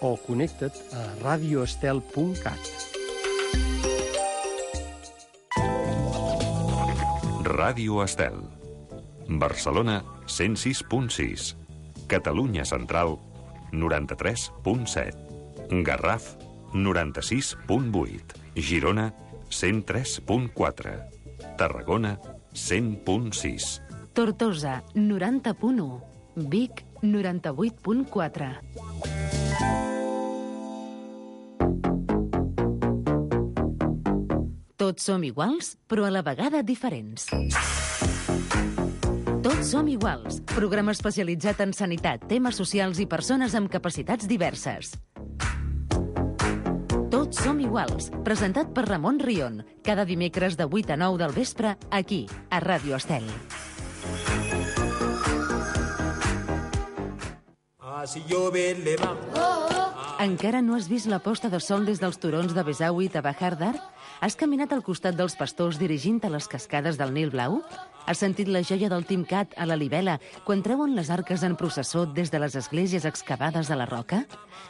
o connecta't a radioestel.cat. Ràdio Estel. Barcelona, 106.6. Catalunya Central, 93.7. Garraf, 96.8. Girona, 103.4. Tarragona, 100.6. Tortosa, 90.1. Vic, 98.4. Tots som iguals, però a la vegada diferents. Tots som iguals, programa especialitzat en sanitat, temes socials i persones amb capacitats diverses. Tots som iguals, presentat per Ramon Rion, cada dimecres de 8 a 9 del vespre, aquí, a Ràdio Estel. Encara no has vist la posta de sol des dels turons de Besauit a Bahar Dar? Has caminat al costat dels pastors dirigint a les cascades del Nil Blau? Has sentit la joia del Timcat a la Libela quan treuen les arques en processó des de les esglésies excavades a la roca?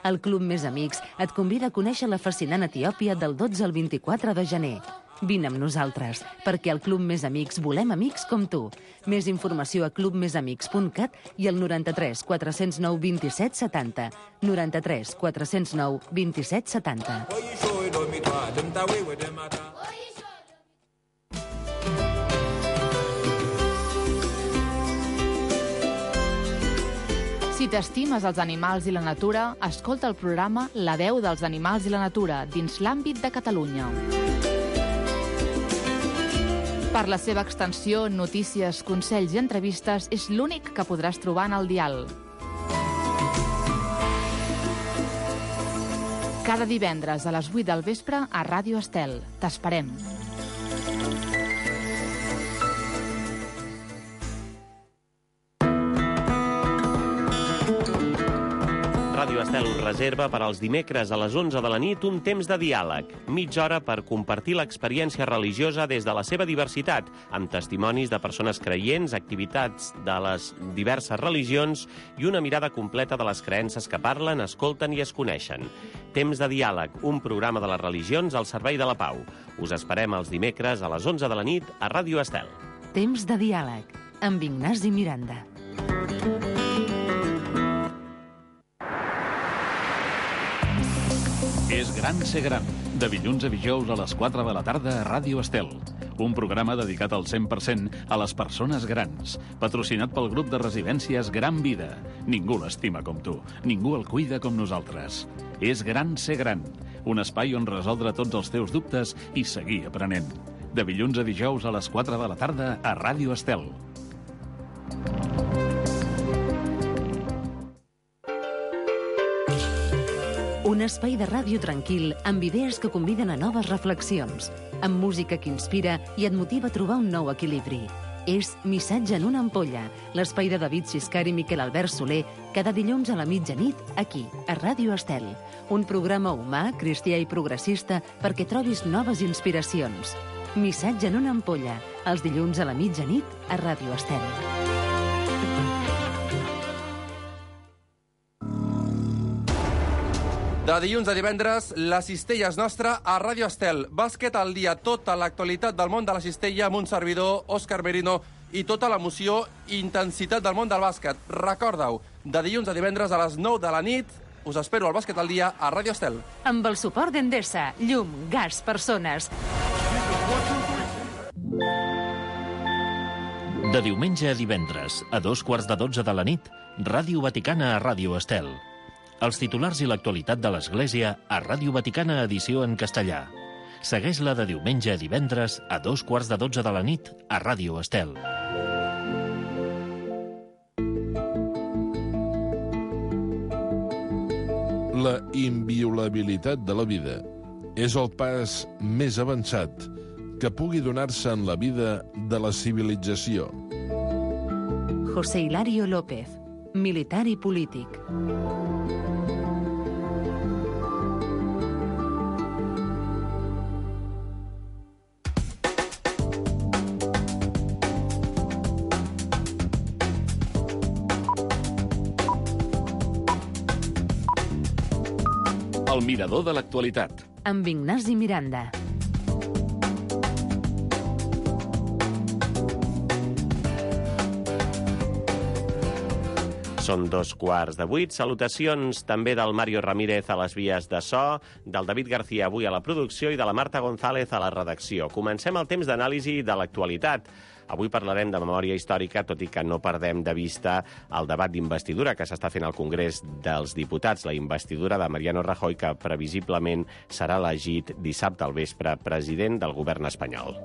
El Club Més Amics et convida a conèixer la fascinant Etiòpia del 12 al 24 de gener. Vine amb nosaltres, perquè al Club Més Amics volem amics com tu. Més informació a clubmesamics.cat i al 93 409 27 70. 93 409 27 70. Si t'estimes els animals i la natura, escolta el programa La veu dels animals i la natura dins l'àmbit de Catalunya. Per la seva extensió, notícies, consells i entrevistes, és l'únic que podràs trobar en el dial. Cada divendres a les 8 del vespre a Ràdio Estel. T'esperem. Ràdio Estel us reserva per als dimecres a les 11 de la nit un temps de diàleg, mitja hora per compartir l'experiència religiosa des de la seva diversitat, amb testimonis de persones creients, activitats de les diverses religions i una mirada completa de les creences que parlen, escolten i es coneixen. Temps de diàleg, un programa de les religions al servei de la pau. Us esperem els dimecres a les 11 de la nit a Ràdio Estel. Temps de diàleg, amb Ignasi Miranda. És gran ser gran, de dilluns a dijous a les 4 de la tarda a Ràdio Estel. Un programa dedicat al 100% a les persones grans, patrocinat pel grup de residències Gran Vida. Ningú l'estima com tu, ningú el cuida com nosaltres. És gran ser gran, un espai on resoldre tots els teus dubtes i seguir aprenent. De dilluns a dijous a les 4 de la tarda a Ràdio Estel. Un espai de ràdio tranquil amb idees que conviden a noves reflexions, amb música que inspira i et motiva a trobar un nou equilibri. És Missatge en una ampolla, l'espai de David Siscar i Miquel Albert Soler, cada dilluns a la mitjanit, aquí, a Ràdio Estel. Un programa humà, cristià i progressista perquè trobis noves inspiracions. Missatge en una ampolla, els dilluns a la mitjanit, a Ràdio Estel. De dilluns a divendres, la cistella és nostra a Ràdio Estel. Bàsquet al dia, tota l'actualitat del món de la cistella amb un servidor, Òscar Merino, i tota l'emoció i intensitat del món del bàsquet. Recorda-ho, de dilluns a divendres a les 9 de la nit, us espero al Bàsquet al dia a Ràdio Estel. Amb el suport d'Endesa, llum, gas, persones. De diumenge a divendres, a 2:15 de la nit, Ràdio Vaticana a Ràdio Estel. Els titulars i l'actualitat de l'Església a Ràdio Vaticana edició en castellà. Segueix-la de diumenge a divendres a 2:15 de la nit a Ràdio Estel. La inviolabilitat de la vida és el pas més avançat que pugui donar-se en la vida de la civilització. José Hilario López, militar i polític. El mirador de l'actualitat. Amb Ignasi Miranda. Són 7:15. Salutacions també del Mario Ramírez a les vies de so, del David García avui a la producció i de la Marta González a la redacció. Comencem el temps d'anàlisi de l'actualitat. Avui parlarem de memòria històrica, tot i que no perdem de vista el debat d'investidura que s'està fent al Congrés dels Diputats, la investidura de Mariano Rajoy, que previsiblement serà elegit dissabte al vespre president del govern espanyol.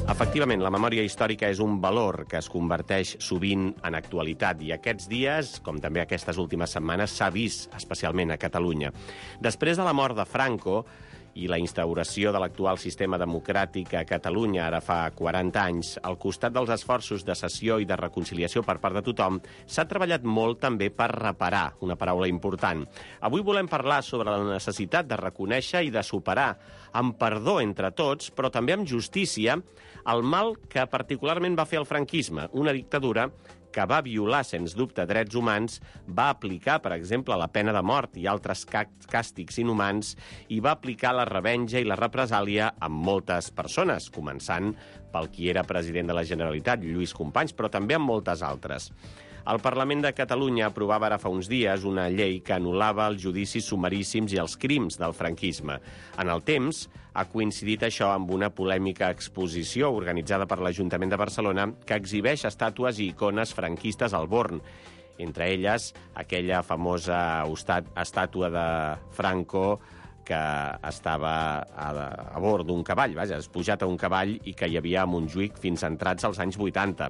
Efectivament, la memòria històrica és un valor que es converteix sovint en actualitat i aquests dies, com també aquestes últimes setmanes, s'ha vist especialment a Catalunya. Després de la mort de Franco i la instauració de l'actual sistema democràtic a Catalunya ara fa 40 anys, al costat dels esforços de cessió i de reconciliació per part de tothom, s'ha treballat molt també per reparar, una paraula important. Avui volem parlar sobre la necessitat de reconèixer i de superar, amb perdó entre tots, però també amb justícia, el mal que particularment va fer el franquisme, una dictadura que va violar, sens dubte, drets humans, va aplicar, per exemple, la pena de mort i altres càstigs inhumans i va aplicar la revenja i la represàlia amb moltes persones, començant pel qui era president de la Generalitat, Lluís Companys, però també amb moltes altres. El Parlament de Catalunya aprovava ara fa uns dies una llei que anul·lava els judicis sumaríssims i els crims del franquisme. En el temps, ha coincidit això amb una polèmica exposició organitzada per l'Ajuntament de Barcelona que exhibeix estàtues i icones franquistes al Born. Entre elles, aquella famosa estàtua de Franco que estava a bord d'un cavall, pujat a un cavall i que hi havia a Montjuïc fins entrats als anys 80.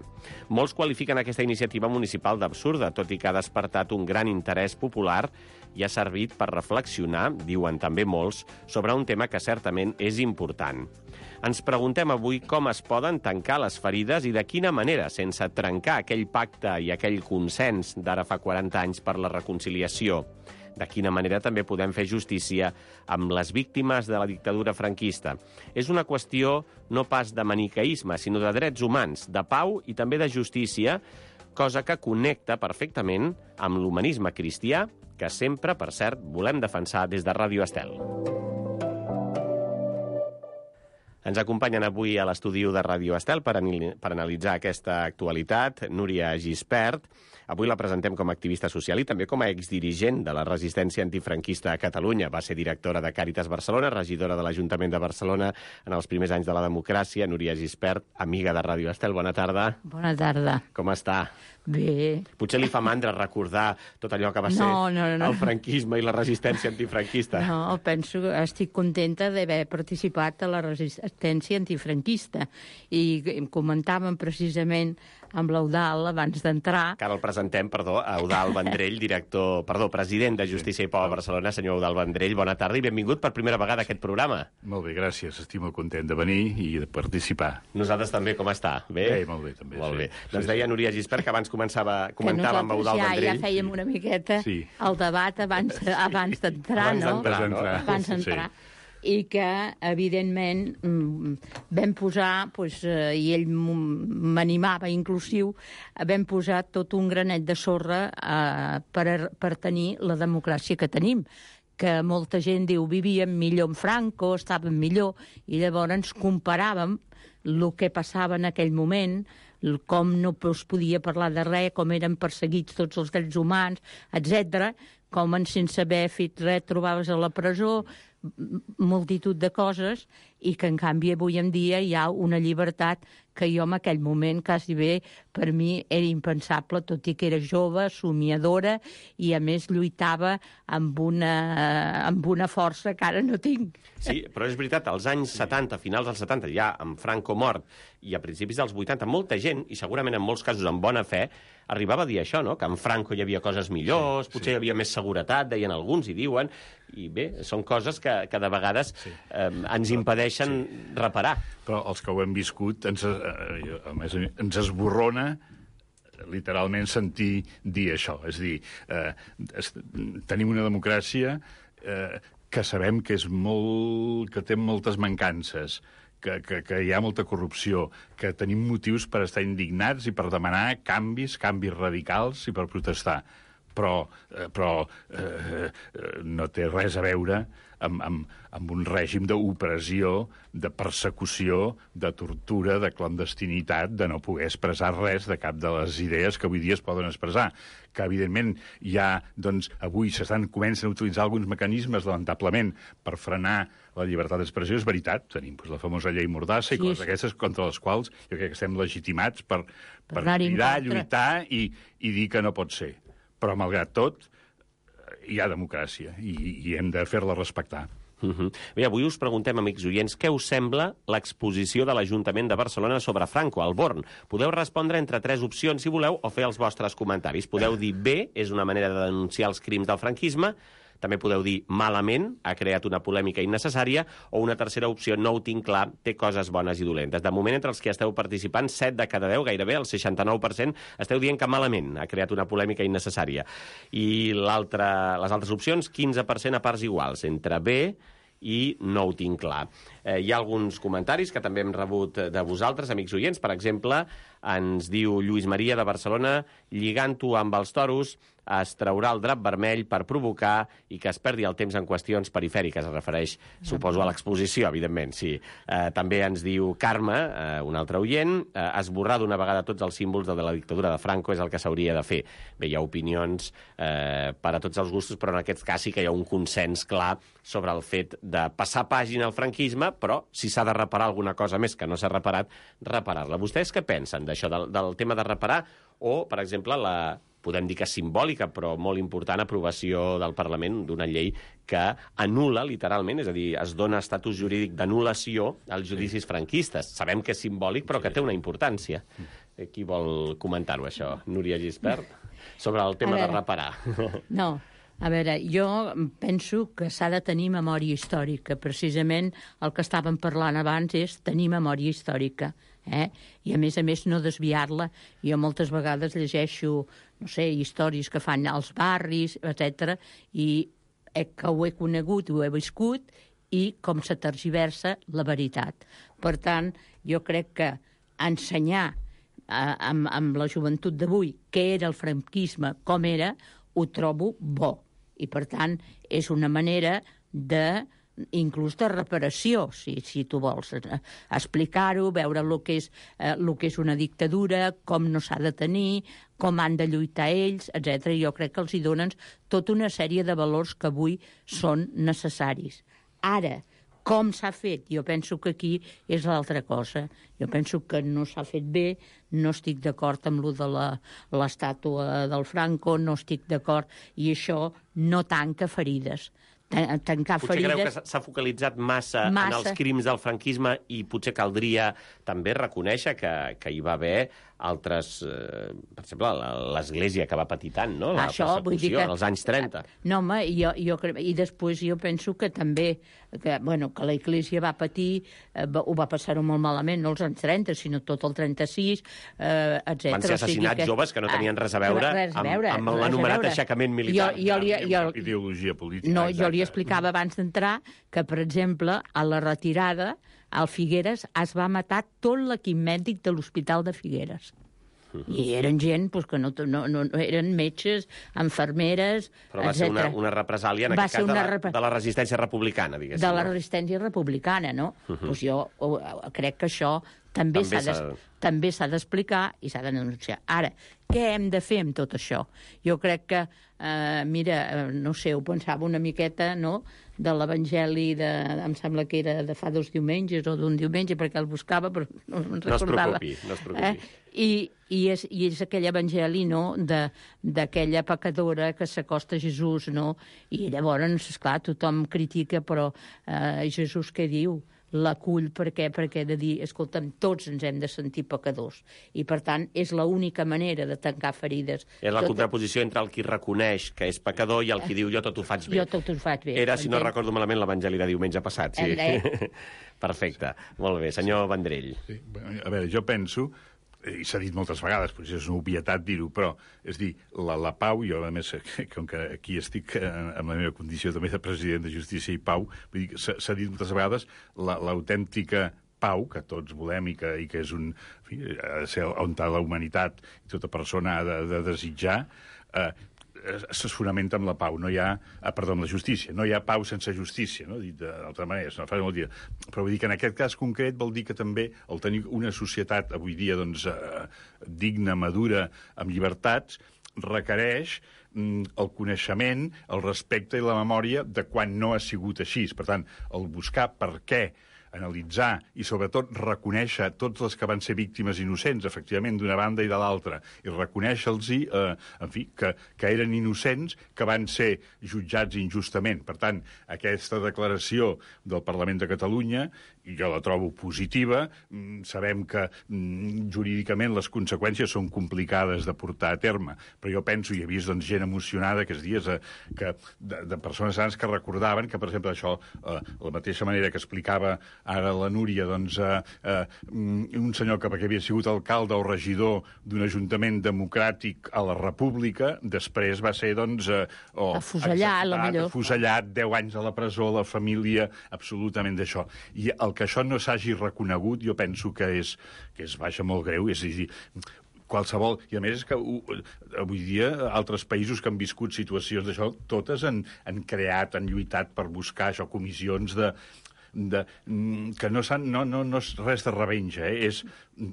Molts qualifiquen aquesta iniciativa municipal d'absurda, tot i que ha despertat un gran interès popular i ha servit per reflexionar, diuen també molts, sobre un tema que certament és important. Ens preguntem avui com es poden tancar les ferides i de quina manera, sense trencar aquell pacte i aquell consens d'ara fa 40 anys per la reconciliació. De quina manera també podem fer justícia amb les víctimes de la dictadura franquista. És una qüestió no pas de maniqueisme, sinó de drets humans, de pau i també de justícia, cosa que connecta perfectament amb l'humanisme cristià, que sempre, per cert, volem defensar des de Ràdio Estel. Ens acompanyen avui a l'estudi de Ràdio Estel per analitzar aquesta actualitat Núria Gispert. Avui la presentem com a activista social i també com a exdirigent de la resistència antifranquista a Catalunya. Va ser directora de Càritas Barcelona, regidora de l'Ajuntament de Barcelona en els primers anys de la democràcia. Núria Gispert, amiga de Ràdio Estel, bona tarda. Bona tarda. Com està? Bé. Potser li fa mandra recordar tot allò que va ser el franquisme i la resistència antifranquista. No, penso que estic contenta d'haver participat a la resistència antifranquista. I comentàvem precisament amb l'Eudal abans d'entrar. Que ara el presentem, Eudal Vendrell, president de Justícia i Pau a Barcelona. Senyor Eudal Vendrell, bona tarda i benvingut per primera vegada a aquest programa. Molt bé, gràcies. Estic molt content de venir i de participar. Nosaltres també, com està? Bé? Bé, molt bé, també. Molt bé. Doncs deia Núria Gispert que abans comentàvem amb Eudal Vendrell. Ja fèiem una miqueta el debat abans d'entrar, no? Abans d'entrar. I que, evidentment, vam posar, i ell m'animava inclusiu, vam posar tot un granet de sorra per tenir la democràcia que tenim, que molta gent diu vivíem millor amb Franco, estàvem millor, i llavors comparàvem el que passava en aquell moment, com no es podia parlar de res, com eren perseguits tots els drets humans, etc., com sense haver fet res trobaves a la presó, multitud de coses, i que en canvi avui en dia hi ha una llibertat que jo en aquell moment quasi bé per mi era impensable, tot i que era jove, somiadora, i a més lluitava amb una força que ara no tinc. Sí, però és veritat, als anys 70, finals dels 70, ja amb Franco mort, i a principis dels 80, molta gent, i segurament en molts casos amb bona fe, arribava a dir això, no? Que amb Franco hi havia coses millors, potser hi havia més seguretat, deien alguns, i diuen, i bé, són coses que de vegades ens impedeixen reparar. Però els que ho hem viscut, a més, ens esborrona literalment sentir dir això. És a dir, tenim una democràcia que sabem que que té moltes mancances, que hi ha molta corrupció, que tenim motius per estar indignats i per demanar canvis radicals i per protestar. però no té res a veure amb un règim d'opressió, de persecució, de tortura, de clandestinitat, de no poder expressar res de cap de les idees que avui dia es poden expressar. Que, evidentment, ja, doncs, avui comencen a utilitzar alguns mecanismes, lamentablement, per frenar la llibertat d'expressió. És veritat, tenim la famosa llei Mordassa i coses d'aquestes contra les quals jo crec que estem legitimats per cridar, lluitar i dir que no pot ser. Però, malgrat tot, hi ha democràcia i hem de fer-la respectar. Bé, avui us preguntem, amics oients, què us sembla l'exposició de l'Ajuntament de Barcelona sobre Franco, al Born? Podeu respondre entre 3 opcions, si voleu, o fer els vostres comentaris. Podeu dir bé, és una manera de denunciar els crims del franquisme. També podeu dir malament, ha creat una polèmica innecessària, o una tercera opció, no ho tinc clar, té coses bones i dolentes. De moment, entre els que esteu participant, 7 de cada 10, gairebé el 69%, esteu dient que malament ha creat una polèmica innecessària. I les altres opcions, 15% a parts iguals, entre bé i no ho tinc clar. Hi ha alguns comentaris que també hem rebut de vosaltres, amics oients. Per exemple, ens diu Lluís Maria de Barcelona, lligant-ho amb els toros, es traurà el drap vermell per provocar i que es perdi el temps en qüestions perifèriques. Es refereix, suposo, a l'exposició, evidentment, sí. També ens diu Carme, un altre oient, esborrar d'una vegada tots els símbols de la dictadura de Franco és el que s'hauria de fer. Bé, hi ha opinions per a tots els gustos, però en aquest cas sí que hi ha un consens clar sobre el fet de passar pàgina al franquisme, però si s'ha de reparar alguna cosa més que no s'ha reparat, reparar-la. Vostès què pensen d'això, del tema de reparar? O, per exemple, podem dir que és simbòlica, però molt important, aprovació del Parlament d'una llei que anul·la, literalment, és a dir, es dona estatus jurídic d'anul·lació als judicis franquistes. Sabem que és simbòlic, però que té una importància. Qui vol comentar-ho, això? Núria Gispert? Sobre el tema de reparar. No, a veure, jo penso que s'ha de tenir memòria històrica. Precisament el que estàvem parlant abans és tenir memòria històrica. I, a més, no desviar-la. Jo moltes vegades llegeixo, no sé, històries que fan als barris, etc. i que ho he conegut, ho he viscut, i com se tergiversa la veritat. Per tant, jo crec que ensenyar amb la joventut d'avui què era el franquisme, com era, ho trobo bo. I, per tant, és una manera inclús de reparació, si tu vols explicar-ho, veure el que és una dictadura, com no s'ha de tenir, com han de lluitar ells, etc. Jo crec que els hi donen tota una sèrie de valors que avui són necessaris. Ara, com s'ha fet? Jo penso que aquí és l'altra cosa. Jo penso que no s'ha fet bé, no estic d'acord amb lo de l'estàtua del Franco, no estic d'acord, i això no tanca ferides. Tancar potser ferides... creu que s'ha focalitzat massa en els crims del franquisme i potser caldria també reconèixer que hi va haver altres... per exemple, l'Església que va patir tant, no? La persecució, als anys 30. No, home, i després jo penso que també que la Església va patir, ho va passar-ho molt malament, no els anys 30, sinó tot el 36, etc. Van ser assassinats joves que no tenien res a veure amb l'anomenat aixecament militar. Ideologia política. No, jo li explicava abans d'entrar que, per exemple, a la retirada, al Figueres es va matar tot l'equip mèdic de l'Hospital de Figueres. I eren gent que no eren metges, infermeres, etc. Però va ser una represàlia, en aquest cas, de la resistència republicana, diguéssim. De la resistència republicana, no? Doncs jo crec que això també s'ha d'explicar i s'ha de denunciar. Ara, què hem de fer amb tot això? Jo crec que, no sé, ho pensava una miqueta, no?, de l'Evangeli, em sembla que era de fa 2 diumenges o d'un diumenge, perquè el buscava, però no me'n recordava. No es preocupi. I és aquell evangeli, no?, d'aquella pecadora que s'acosta a Jesús, no?, i llavors, esclar, tothom critica, però Jesús què diu? L'acull, per què? Perquè he de dir, escolta'm, tots ens hem de sentir pecadors. I, per tant, és l'única manera de tancar ferides. És la contraposició entre el qui reconeix que és pecador i el qui diu jo tot ho faig bé. Jo tot ho faig bé. Era, si no recordo malament, l'Evangeli de diumenge passat, sí. Perfecte. Molt bé. Senyor Vendrell. Sí. A veure, jo penso, i s'ha dit moltes vegades, potser és una obvietat dir-ho, però, és dir, la pau, jo, a més, com que aquí estic en la meva condició també de president de Justícia i Pau, vull dir, s'ha dit moltes vegades l'autèntica pau que tots volem i que és un... ha de ser on la humanitat i tota persona ha de desitjar, es fonamenta amb la pau, amb la justícia. No hi ha pau sense justícia, no? Dit d'altra manera, és una frase molt dita. Però vull dir que en aquest cas concret vol dir que també el tenir una societat avui dia doncs, digna, madura, amb llibertats, requereix el coneixement, el respecte i la memòria de quan no ha sigut així. Per tant, el buscar per què, analitzar i, sobretot, reconèixer tots els que van ser víctimes innocents, efectivament, d'una banda i de l'altra, i reconèixer-los, en fi, que eren innocents, que van ser jutjats injustament. Per tant, aquesta declaració del Parlament de Catalunya, i jo la trobo positiva, sabem que jurídicament les conseqüències són complicades de portar a terme, però jo penso, i he vist doncs, gent emocionada aquests dies de persones grans que recordaven que, per exemple, això, la mateixa manera que explicava ara la Núria, doncs, un senyor que havia sigut alcalde o regidor d'un ajuntament democràtic a la República, després va ser, doncs... afusellat, 10 anys a la presó, la família, absolutament d'això. I el que això no s'hagi reconegut, jo penso que és vaja, molt greu, és a dir, qualsevol... I a més és que avui dia altres països que han viscut situacions d'això, totes han creat, han lluitat per buscar això, comissions que no és res de revenja, és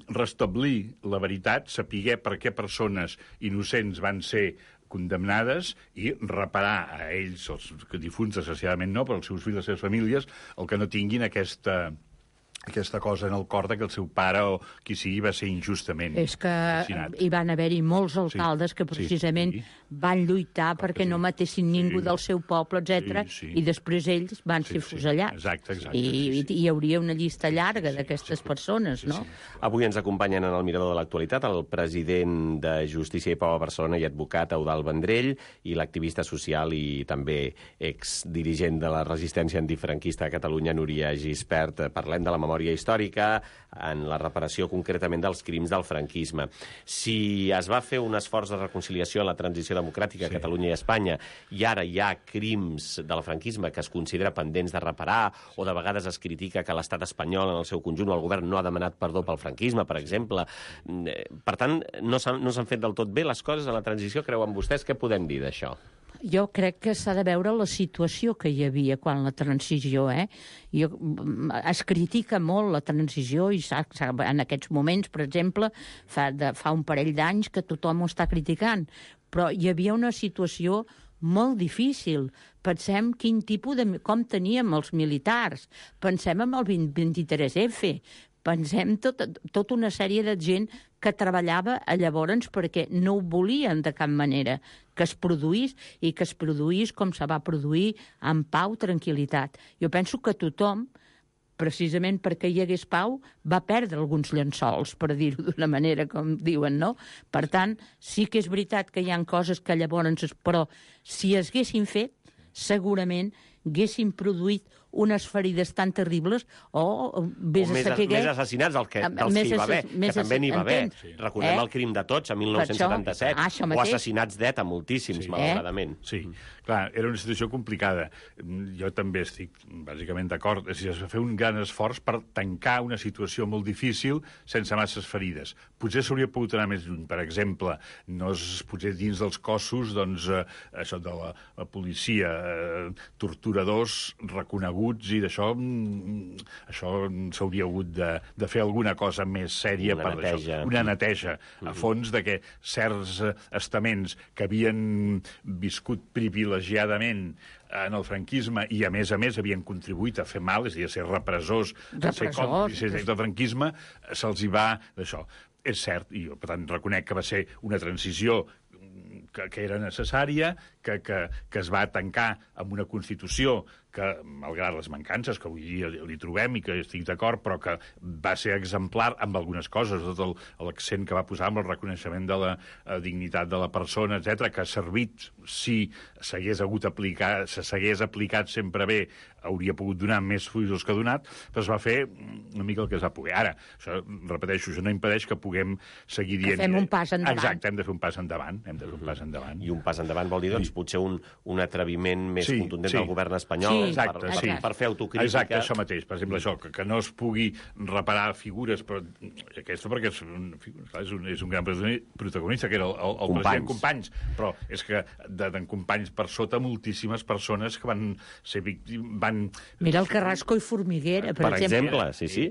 restablir la veritat, saber per què persones innocents van ser condemnades i reparar a ells, els difunts, desgraciadament no, però els seus fills, les seves famílies, el que no tinguin aquesta cosa en el cor que el seu pare o qui sigui va ser injustament assassinat. Hi van haver-hi molts alcaldes que precisament van lluitar perquè no matessin ningú del seu poble, etc. I després ells van ser fusellats. Exacte. I hi hauria una llista llarga d'aquestes persones, no? Avui ens acompanyen en el mirador de l'actualitat el president de Justícia i Pau a Barcelona i advocat Eudald Vendrell i l'activista social i també exdirigent de la resistència antifranquista a Catalunya, Núria Gispert. Parlem de la memòria històrica en la reparació concretament dels crims del franquisme. Si es va fer un esforç de reconciliació en la transició democràtica a Catalunya i Espanya i ara hi ha crims del franquisme que es considera pendents de reparar o de vegades es critica que l'estat espanyol en el seu conjunt o el govern no ha demanat perdó pel franquisme, per exemple. Per tant, no s'han fet del tot bé les coses en la transició, creuen vostès? Què podem dir d'això? Jo crec que s'ha de veure la situació que hi havia quan la transició, es critica molt la transició i en aquests moments, per exemple, fa un parell d'anys que tothom ho està criticant, però hi havia una situació molt difícil. Pensem com teníem els militars, pensem en el 23F, pensem tota una sèrie de gent que treballava llavors perquè no ho volien de cap manera que es produís i que es produís com se va produir en pau, tranquil·litat. Jo penso que tothom, precisament perquè hi hagués pau, va perdre alguns llençols, per dir-ho d'una manera com diuen, no? Per tant, sí que és veritat que hi ha coses que llavors... Però si es haguessin fet, segurament haguessin produït unes ferides tan terribles o més assassinats dels que hi va haver, que també n'hi va haver. Recordem el crim de Tots, a 1977, o assassinats d'ETA, moltíssims, malauradament. Sí, clar, era una situació complicada. Jo també estic bàsicament d'acord. Es va fer un gran esforç per tancar una situació molt difícil sense masses ferides. Potser s'hauria pogut anar més lluny. Per exemple, potser dins dels cossos, doncs, això de la policia, torturadors reconeguts i d'això s'hauria hagut de fer alguna cosa més sèria per això. Una neteja a fons de que certs estaments que havien viscut privilegiadament en el franquisme i, a més, havien contribuït a fer mal, és a dir, a ser repressors, a ser còmplices del franquisme, se'ls hi va d'això. És cert, i jo, per tant, reconec que va ser una transició que era necessària, que es va tancar amb una Constitució que, malgrat les mancances que avui dia li trobem i que estic d'acord, però que va ser exemplar amb algunes coses, tot l'accent que va posar amb el reconeixement de la dignitat de la persona, etc, que ha servit, si s'hagués aplicat sempre bé, hauria pogut donar més fruits que ha donat, però es va fer una mica el que es va poder. Ara, això, repeteixo, això no impedeix que puguem seguir dient... Que fem un pas endavant. Exacte, hem de fer un pas endavant. I un pas endavant vol dir, doncs, potser un atreviment més contundent del govern espanyol per fer autocrítica. Exacte, això mateix. Per exemple, això, que no es pugui reparar figures, però aquesta perquè és un gran protagonista, que era el president Companys, però és que d'en Companys per sota moltíssimes persones que van ser víctimes... Mira el Carrasco i Formiguera, per exemple. Sí.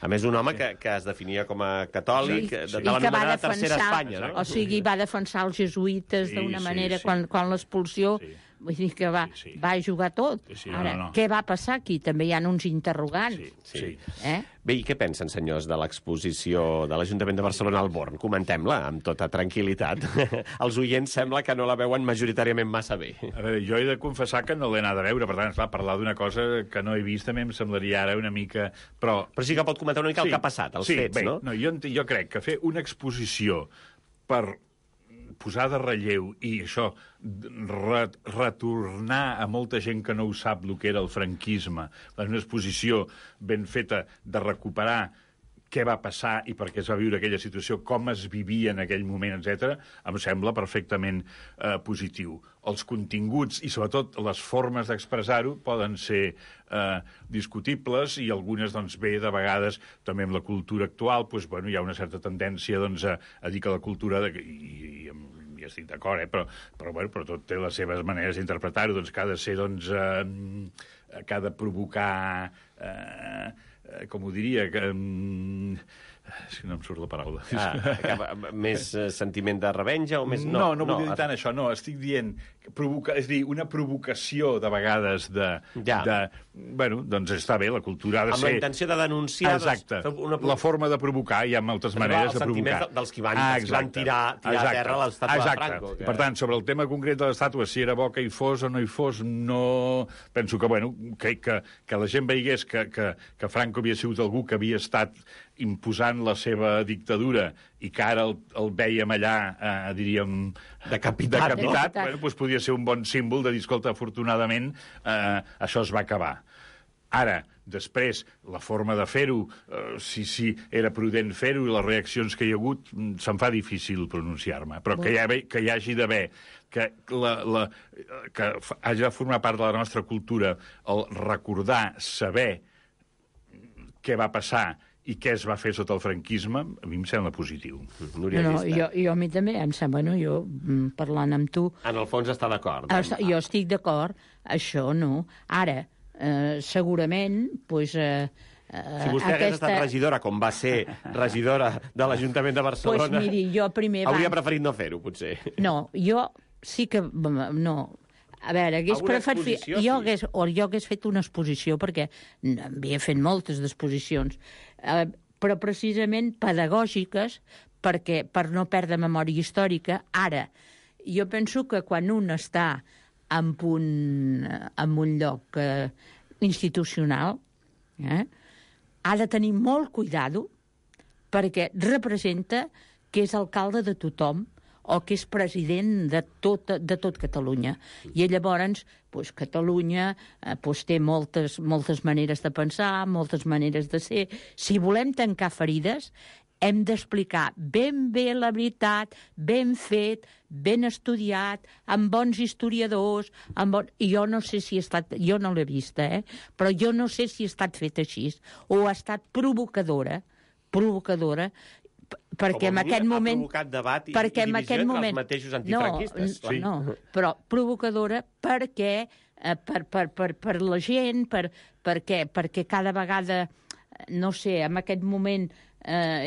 A més, un home que es definia com a catòlic, de l'anomenada Tercera Espanya. O sigui, va defensar els jesuïtes d'una manera quan l'expulsió... Vull dir que va jugar tot. Ara, què va passar aquí? També hi ha uns interrogants. Bé, i què pensen, senyors, de l'exposició de l'Ajuntament de Barcelona al Born? Comentem-la amb tota tranquil·litat. Els oients sembla que no la veuen majoritàriament massa bé. A veure, jo he de confessar que no l'he anat a veure, per tant, esclar, parlar d'una cosa que no he vist també em semblaria ara una mica... Però sí que pot comentar una mica el que ha passat, els fets, no? No, jo crec que fer una exposició per posar de relleu i això, retornar a molta gent que no ho sap el que era el franquisme, una exposició ben feta de recuperar què va passar i per què es va viure aquella situació, com es vivia en aquell moment, etc., em sembla perfectament positiu. Els continguts i, sobretot, les formes d'expressar-ho poden ser discutibles i algunes, doncs, bé, de vegades, també amb la cultura actual, doncs, bueno, hi ha una certa tendència doncs, a dir que la cultura... I estic d'acord, però tot té les seves maneres d'interpretar-ho, doncs, que ha de ser, doncs, que ha de provocar... com ho diria, que... És que no em surt la paraula. Més sentiment de revenja o més... No vull dir tant això, no. Estic dient, és dir, una provocació de vegades de... Bueno, doncs està bé, la cultura ha de ser... Amb la intenció de denunciar... Exacte. La forma de provocar, hi ha moltes maneres de provocar. El sentiment dels que van tirar a terra l'estàtua de Franco. Per tant, sobre el tema concret de l'estàtua, si era bo que hi fos o no hi fos, no... Penso que, bueno, que la gent veigués que Franco havia sigut algú que havia estat imposant la seva dictadura i que ara el vèiem allà, diríem... Decapitat. Bueno, doncs podria ser un bon símbol de dir, escolta, afortunadament això es va acabar. Ara, després, la forma de fer-ho, si era prudent fer-ho, les reaccions que hi ha hagut, se'm fa difícil pronunciar-me, però que hi hagi d'haver, que hagi de formar part de la nostra cultura el recordar, saber què va passar i què es va fer sota el franquisme, a mi em sembla positiu. Jo a mi també em sembla, jo parlant amb tu... En el fons està d'acord. Jo estic d'acord, això no. Ara, segurament, doncs... Si vostè hagués estat regidora, com va ser regidora de l'Ajuntament de Barcelona... Doncs miri, jo primer... Hauria preferit no fer-ho, potser. No, jo sí que... No... A veure, hagués preferit... Jo hagués fet una exposició, perquè havia fet moltes d'exposicions, però precisament pedagògiques, per no perdre memòria històrica. Ara, jo penso que quan un està en un lloc institucional, ha de tenir molt cuidado, perquè representa que és alcalde de tothom, o que és president de tot Catalunya. I llavors, Catalunya té moltes maneres de pensar, moltes maneres de ser. Si volem tancar ferides, hem d'explicar ben bé la veritat, ben fet, ben estudiat, amb bons historiadors, i jo no sé si ha estat... Jo no l'he vista, però jo no sé si ha estat fet així, o ha estat provocadora, perquè en aquest moment... Ha provocat debat i divisió entre els mateixos antifranquistes. No, però provocadora perquè per la gent, perquè cada vegada, no sé, en aquest moment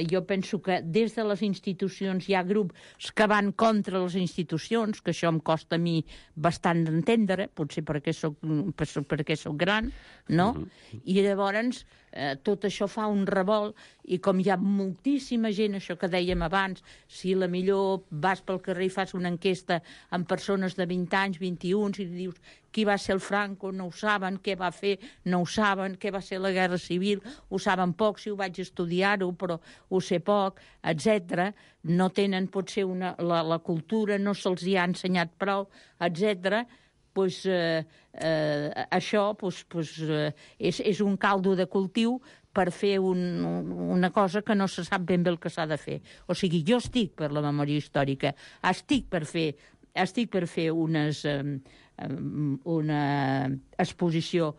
jo penso que des de les institucions hi ha grups que van contra les institucions, que això em costa a mi bastant d'entendre, potser perquè soc gran, no? I llavors tot això fa un revolt, i com hi ha moltíssima gent, això que dèiem abans, si la millor vas pel carrer i fas una enquesta amb persones de 20 anys, 21, i dius qui va ser el Franco, no ho saben, què va fer, no ho saben, què va ser la Guerra Civil, ho saben poc, si ho vaig estudiar-ho, però ho sé poc, etc. No tenen, potser, la cultura, no se'ls hi ha ensenyat prou, etc. Això és un caldo de cultiu per fer una cosa que no se sap ben bé el que s'ha de fer. O sigui, jo estic per la memòria històrica, estic per fer estic per fer una exposició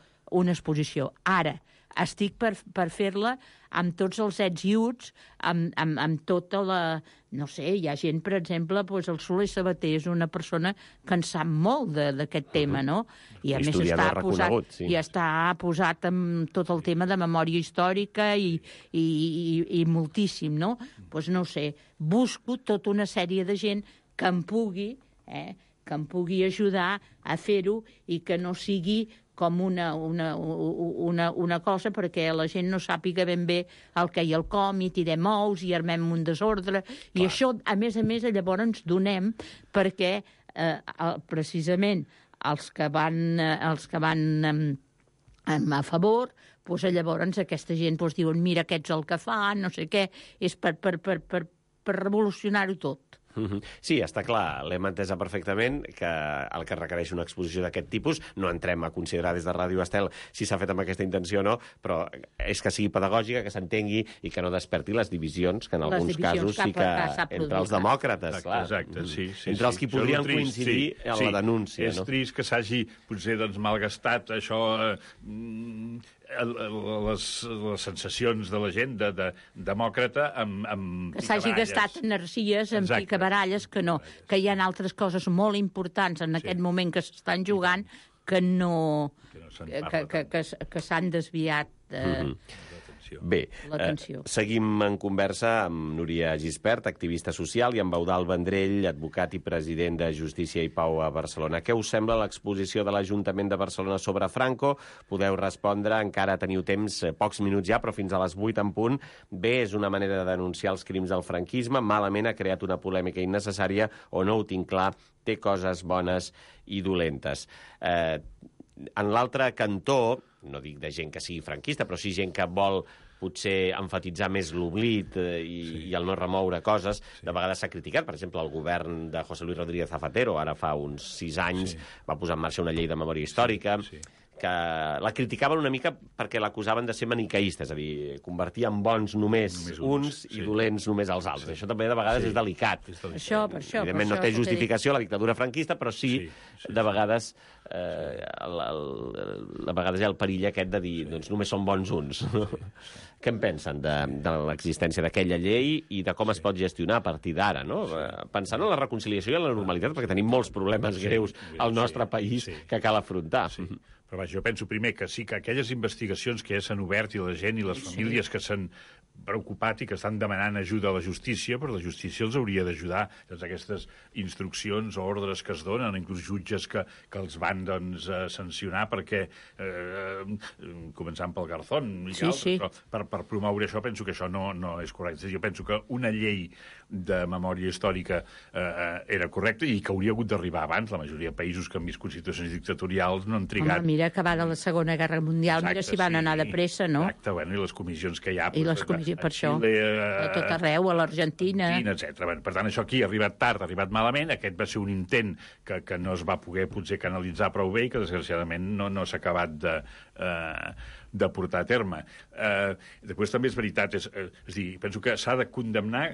ara. Estic per fer-la amb tots els ets i uts, amb tota la... No sé, hi ha gent, per exemple, doncs el Soler Sabater és una persona que en sap molt d'aquest tema, no? I a més està posat amb tot el tema de memòria històrica i moltíssim, no? Doncs no ho sé, busco tota una sèrie de gent que em pugui ajudar a fer-ho i que no sigui com una cosa perquè la gent no sàpiga ben bé el què i el com, i tirem ous i armem un desordre. I això, a més, llavors ens donem perquè precisament els que van a favor, doncs llavors aquesta gent diuen mira, aquests el que fan, no sé què, és per revolucionar-ho tot. Sí, està clar, l'hem entesa perfectament, que el que requereix una exposició d'aquest tipus, no entrem a considerar des de Ràdio Estel si s'ha fet amb aquesta intenció o no, però és que sigui pedagògica, que s'entengui i que no desperti les divisions, que en alguns casos sí que entre els demòcrates, clar. Exacte, sí. Entre els que podrien coincidir en la denúncia. És trist que s'hagi, potser, malgastat això... les sensacions de la gent demòcrata amb que s'hagi gastat energies en picabaralles, que no, que hi ha altres coses molt importants en aquest moment que s'estan jugant que s'han desviat Bé, seguim en conversa amb Núria Gispert, activista social, i amb Eudald Vendrell, advocat i president de Justícia i Pau a Barcelona. Què us sembla l'exposició de l'Ajuntament de Barcelona sobre Franco? Podeu respondre, encara teniu temps, pocs minuts ja, però fins a les 8 en punt. Bé, és una manera de denunciar els crims del franquisme, malament ha creat una polèmica innecessària, o no ho tinc clar, té coses bones i dolentes. En l'altre cantó, no dic de gent que sigui franquista, però sí gent que vol potser enfatitzar més l'oblit i el no remoure coses, de vegades s'ha criticat. Per exemple, el govern de José Luis Rodríguez Zapatero, ara fa uns 6 anys, va posar en marxa una llei de memòria històrica, que la criticaven una mica perquè l'acusaven de ser maniqueista, és a dir, convertir en bons només uns i dolents només els altres. Això també de vegades és delicat. Evidentment no té justificació la dictadura franquista, però sí, de vegades a vegades hi ha el perill aquest de dir doncs només són bons uns. Què en pensen de l'existència d'aquella llei i de com es pot gestionar a partir d'ara, no? Pensant en la reconciliació i en la normalitat, perquè tenim molts problemes greus al nostre país que cal afrontar. Però vaja, jo penso primer que sí que aquelles investigacions que ja s'han obert i la gent i les famílies que s'han preocupat i que estan demanant ajuda a la justícia, però la justícia els hauria d'ajudar. Doncs aquestes instruccions o ordres que es donen, inclús jutges que els van sancionar perquè, començant pel Garzón i altres, però per promoure això penso que això no és correcte. Jo penso que una llei de memòria històrica era correcta i que hauria hagut d'arribar abans. La majoria de països que han viscut situacions dictatorials no han trigat. Home, mira, acabada la Segona Guerra Mundial, mira si van anar de pressa, no? Exacte, bueno, i les comissions que hi ha... I les comissions, per això, a tot arreu, a l'Argentina... etc. Per tant, això aquí ha arribat tard, ha arribat malament. Aquest va ser un intent que no es va poder potser canalitzar prou bé i que, desgraciadament, no s'ha acabat de portar a terme. Després també és veritat, és a dir, penso que s'ha de condemnar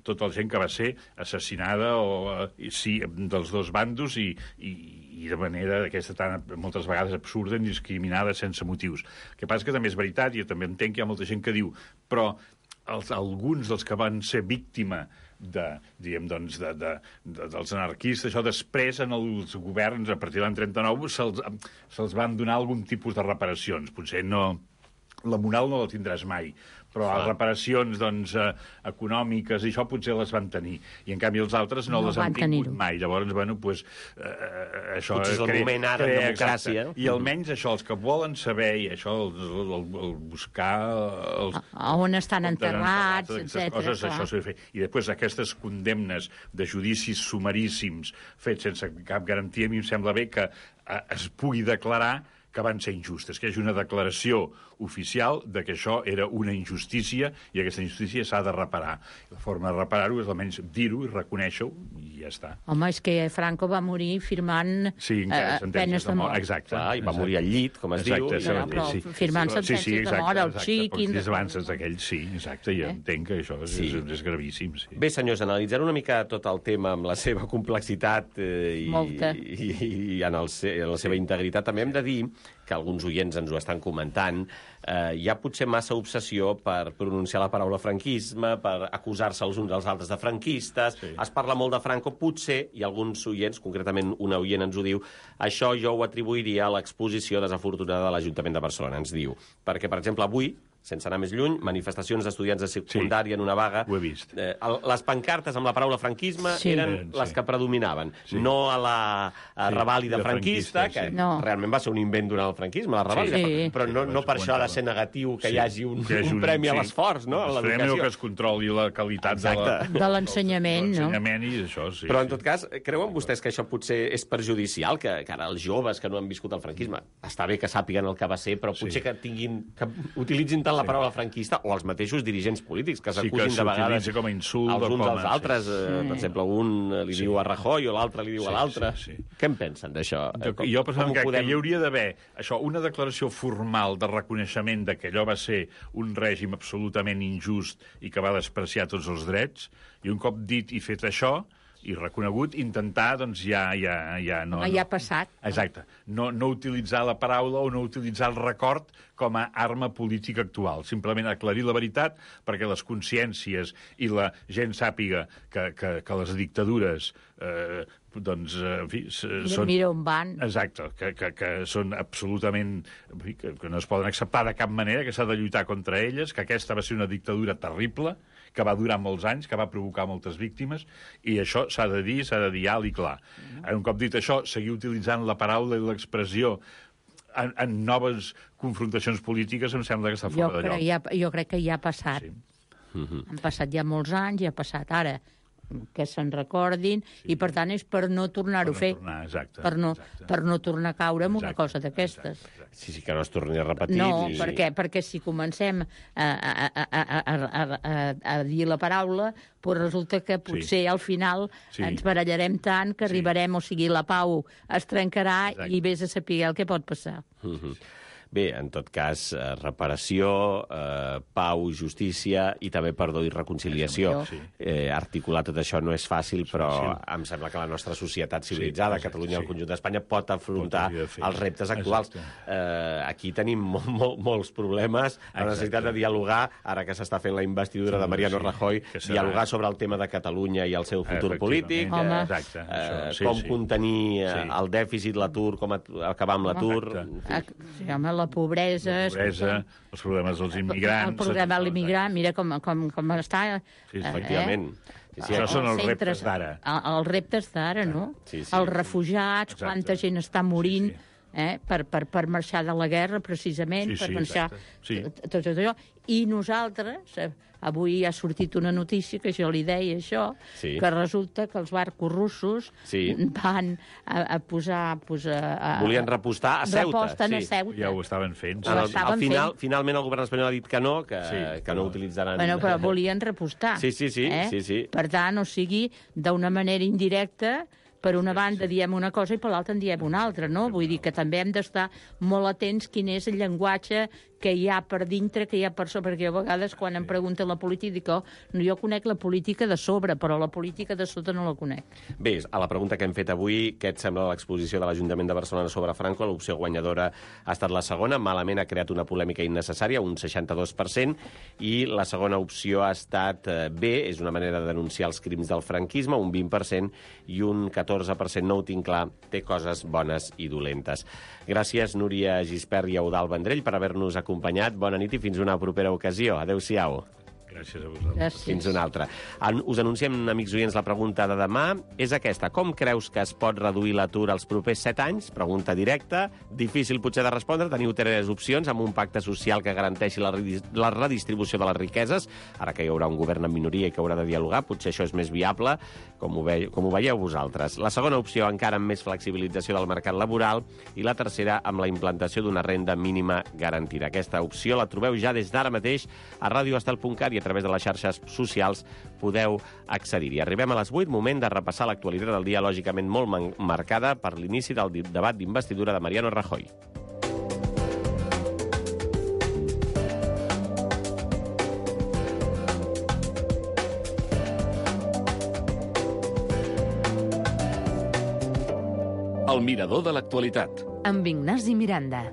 tota la gent que va ser assassinada dels dos bandos i de manera d'aquesta tan moltes vegades absurda, indiscriminada, sense motius. El que passa que també és veritat, i jo també entenc que hi ha molta gent que diu, però alguns dels que van ser víctima dels anarquistes, això després en els governs, a partir de l'any 39, se'ls van donar algun tipus de reparacions. Potser no... La moral no la tindràs mai, però les reparacions econòmiques i això potser les van tenir. I en canvi els altres no les han tingut mai. Llavors, bueno, doncs... això potser és el moment ara en democràcia. I almenys això, els que volen saber, i això, el buscar... on estan enterrats, etc. Això s'ha de fer. I després aquestes condemnes de judicis sumaríssims fets sense cap garantia, a mi em sembla bé que es pugui declarar que van ser injustes, que hi hagi una declaració oficial de que això era una injustícia i aquesta injustícia s'ha de reparar. La forma de reparar-ho és almenys dir-ho i reconèixer-ho i ja està. Home, és que Franco va morir firmant penes de mort. Exacte. I va morir al llit, com es diu. Però firmant sentències de mort, el xic... Des abans d'aquell, sí, exacte, i entenc que això és gravíssim. Bé, senyors, analitzant una mica tot el tema amb la seva complexitat i en la seva integritat, també hem de dir que alguns oients ens ho estan comentant, hi ha potser massa obsessió per pronunciar la paraula franquisme, per acusar-se els uns als altres de franquistes, es parla molt de Franco, potser, i alguns oients, concretament una oient ens ho diu, això jo ho atribuiria a l'exposició desafortunada de l'Ajuntament de Barcelona, ens diu. Perquè, per exemple, avui, sense anar més lluny, manifestacions d'estudiants de secundària en una vaga. Ho he vist. Les pancartes amb la paraula franquisme eren les que predominaven, no a la revàlida franquista, que realment va ser un invent durant el franquisme, la revàlida, però no per això ha de ser negatiu que hi hagi un premi a l'esforç, no? Un premi o que es controli la qualitat de l'ensenyament, no? I això, sí. Però, en tot cas, creuen vostès que això potser és perjudicial, que ara els joves que no han viscut el franquisme, està bé que sàpiguen el que va ser, però potser que utilitzin tant la paraula franquista, o els mateixos dirigents polítics, que s'acusin de vegades com a insult, els uns als altres. Per exemple, un li diu a Rajoy o l'altre li diu a l'altre. Què en pensen d'això? Jo penso que hi hauria d'haver una declaració formal de reconeixement de que allò va ser un règim absolutament injust i que va despreciar tots els drets, i un cop dit i fet això, i reconegut, intentar, doncs, ja ha passat. Exacte. No utilitzar la paraula o no utilitzar el record com a arma política actual. Simplement aclarir la veritat perquè les consciències i la gent sàpiga que les dictadures doncs, en fi, són... Mira on van. Exacte, que són absolutament... que no es poden acceptar de cap manera, que s'ha de lluitar contra elles, que aquesta va ser una dictadura terrible, que va durar molts anys, que va provocar moltes víctimes, i això s'ha de dir alt i clar. Un cop dit això, seguir utilitzant la paraula i l'expressió en noves confrontacions polítiques em sembla que està fora de lloc. Jo crec que ja ha passat. Han passat ja molts anys, ja ha passat ara. Que se'n recordin, i per tant és per no tornar-ho a fer, per no tornar a caure en una cosa d'aquestes. Sí, que no es torni a repetir. No, perquè si comencem a dir la paraula, doncs resulta que potser al final ens barallarem tant que arribarem, o sigui, la pau es trencarà i vés a saber el que pot passar. Bé, en tot cas, reparació, pau, justícia i també perdó i reconciliació. Articular tot això no és fàcil, però em sembla que la nostra societat civilitzada, Catalunya i el conjunt d'Espanya, pot afrontar els reptes actuals. Aquí tenim molts problemes, la necessitat de dialogar, ara que s'està fent la investidura de Mariano Rajoy, dialogar sobre el tema de Catalunya i el seu futur polític, com contenir el dèficit, l'atur, com acabar amb l'atur... Sí, home, la pobresa, els problemes dels immigrants... El problema de l'immigrant, mira com està... Efectivament. Això són els reptes d'ara. Els reptes d'ara, no? Els refugiats, quanta gent està morint per marxar de la guerra, precisament, per marxar tot allò. I nosaltres... Avui ha sortit una notícia que jo li deia això, que resulta que els barcos russos van a posar... Volien repostar a Ceuta. Ja ho estaven fent. Finalment el govern espanyol ha dit que no utilitzaran... Però volien repostar. Sí. Per tant, o sigui, d'una manera indirecta, per una banda diem una cosa i per l'altra en diem una altra, no? Vull dir que també hem d'estar molt atents quin és el llenguatge que hi ha per dintre, que hi ha per sobre, perquè a vegades quan em pregunten la política dic, jo conec la política de sobre, però la política de sota no la conec. Bé, a la pregunta que hem fet avui, què et sembla l'exposició de l'Ajuntament de Barcelona sobre Franco? L'opció guanyadora ha estat la segona, malament ha creat una polèmica innecessària, un 62%, i la segona opció ha estat bé, és una manera de denunciar els crims del franquisme, un 20%, i un 14%, no ho tinc clar, té coses bones i dolentes. Gràcies, Núria Gispert i Eudald Vendrell, per haver-nos acompanyat. Bona nit i fins una propera ocasió. Adéu-siau. Gràcies a vosaltres. Gràcies. Fins una altra. Us anunciem, amics oients, la pregunta de demà. És aquesta. Com creus que es pot reduir l'atur als propers 7 anys? Pregunta directa. Difícil potser de respondre. Teniu 3 opcions amb un pacte social que garanteixi la redistribució de les riqueses. Ara que hi haurà un govern en minoria i que haurà de dialogar, potser això és més viable, com ho veieu vosaltres. La segona opció, encara amb més flexibilització del mercat laboral, i la tercera, amb la implantació d'una renda mínima garantida. Aquesta opció la trobeu ja des d'ara mateix a radioestel.cat i a través de les xarxes socials podeu accedir-hi. Arribem a les 8, moment de repassar l'actualitat del dia, lògicament molt marcada per l'inici del debat d'investidura de Mariano Rajoy. El mirador de l'actualitat. Amb Ignasi Miranda.